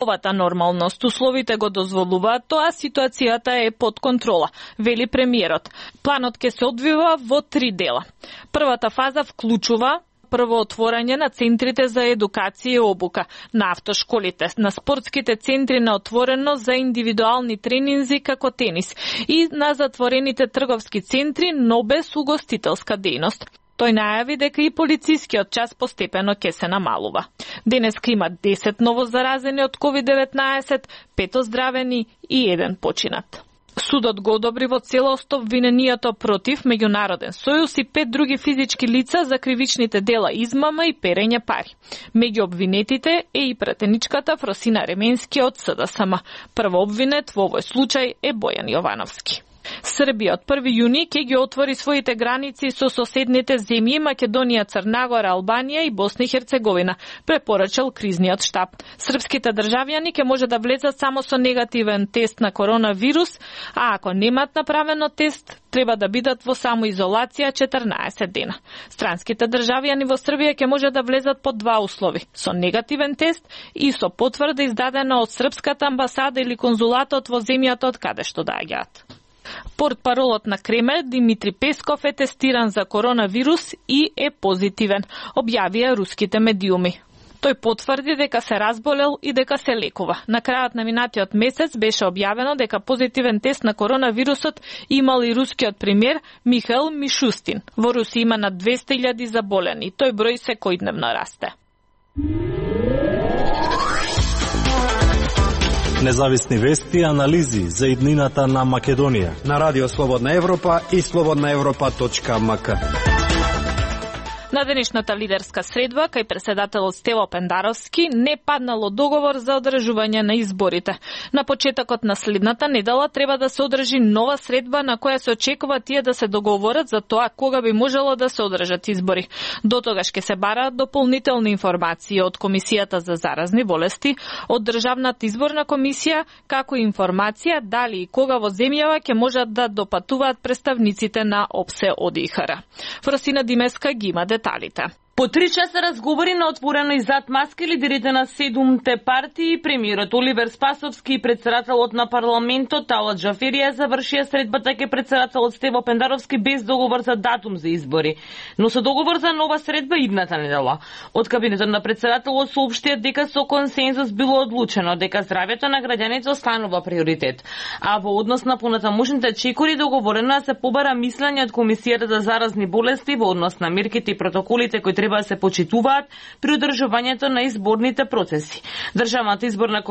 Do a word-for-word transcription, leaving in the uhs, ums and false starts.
Овата нормалност условите го дозволуваат тоа, ситуацијата е под контрола, вели премиерот. Планот ќе се одвива во три дела. Првата фаза вклучува прво отворање на центрите за едукација и обука, на автошколите, на спортските центри на отворено за индивидуални тренинзи како тенис и на затворените трговски центри, но без угостителска дејност. Тој најави дека и полицискиот час постепено ќе се намалува. Денеска има десет ново заразени од ковид деветнаесет, пет оздравени и еден починат. Судот го одобри во целост обвиненијата против Меѓународен сојуз и пет други физички лица за кривичните дела измама и перење пари. Меѓу обвинетите е и пратеничката Фросина Ременски од С Д С М. Прво обвинет во овој случај е Бојан Јовановски. Србија од први јуни ќе ги отвори своите граници со соседните земји Македонија, Црнагора, Албанија и Босна и Херцеговина, препорачал кризниот штаб. Српските државјани ќе може да влезат само со негативен тест на коронавирус, а ако немаат направено тест, треба да бидат во самоизолација четрнаесет дена. Странските државјани во Србија ќе може да влезат по два услови: со негативен тест и со потврда издадена од српската амбасада или конзулатот во земјата од каде што доаѓаат. Портпаролот на Кремљ Димитри Песков е тестиран за коронавирус и е позитивен, објавија руските медиуми. Тој потврди дека се разболел и дека се лекува. На крајот на минатиот месец беше објавено дека позитивен тест на коронавирусот имал и рускиот премиер Михаил Мишустин. Во Русија има над двесте илјади заболени. Тој број секојдневно расте. Независни вести и анализи за иднината на Македонија на Радио Слободна Европа и слободна европа точка м к. На денешната лидерска средба кај претседателот Стево Пендаровски не паднало договор за одржување на изборите. На почетокот на следната недела треба да се одржи нова средба на која се очекува тие да се договорат за тоа кога би можело да се одржат избори. До тогаш ќе се бараат дополнителни информации од Комисијата за заразни болести, од Државната изборна комисија, како и информација дали и кога во земјава ќе можат да допатуваат представниците на ОПСЕ од И Х Р. Фросина Димеска ги има деталите. По три часа разговори на отворено и зад маски лидерите на седумте партии, премиерот Оливер Спасовски и председателот на парламентот Талат Джаферија завршија средбата ке председателот Стево Пендаровски без договор за датум за избори, но со договор за нова средба идната недела. Од кабинетот на председателот соопштија дека со консензус било одлучено дека здравјето на граѓаните останува приоритет, а во однос на понатамошните чекори договорено да се побара мислење од Комисијата за заразни болести во однос на мерките и протоколите кои треба да се почитуваат при одржувањето на изборните процеси. Државната изборна комисија